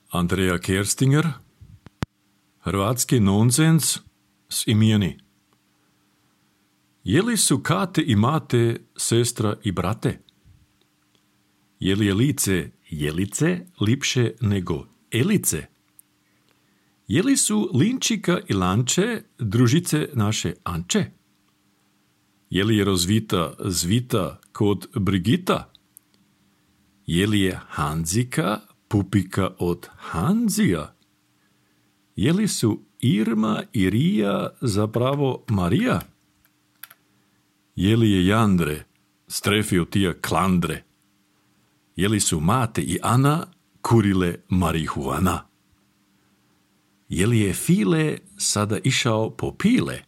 Andrea Kerstinger, hrvatski nonsens s imeni. Je li su kate i mate, sestra i brate? Je li je lice Jelice lipše nego Elice? Je li su Linčika i Lanče družice naše Anče? Je li je rozvita zvita kod Brigita? Je li je Hanzika pupika od Hanzija? Je li su Irma i Rija zapravo Marija? Je li je Jandre strefio tija Klandre? Je li su Mate i Ana kurile marihuana? Je li je File sada išao po pile?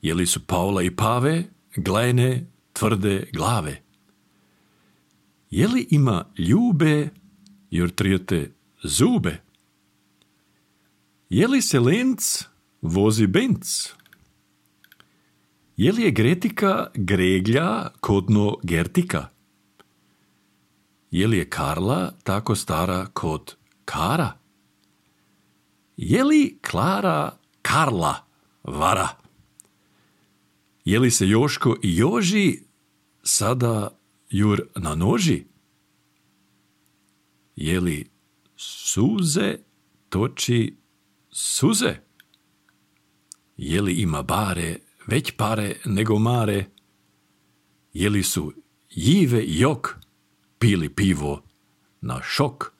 Je li su Paula i Pave glajne tvrde glave? Je li ima ljube jer trijete zube? Je li se Lenc vozi Benz? Je li je Gretika greglja kodno Gertika? Je li je Karla tako stara kod Kara? Je li Klara Karla vara? Je li se Joško i Joži sada jur na noži? Je li suze toči suze? Je li ima bare već pare nego mare? Je li su Jive i Jok pili pivo na šok?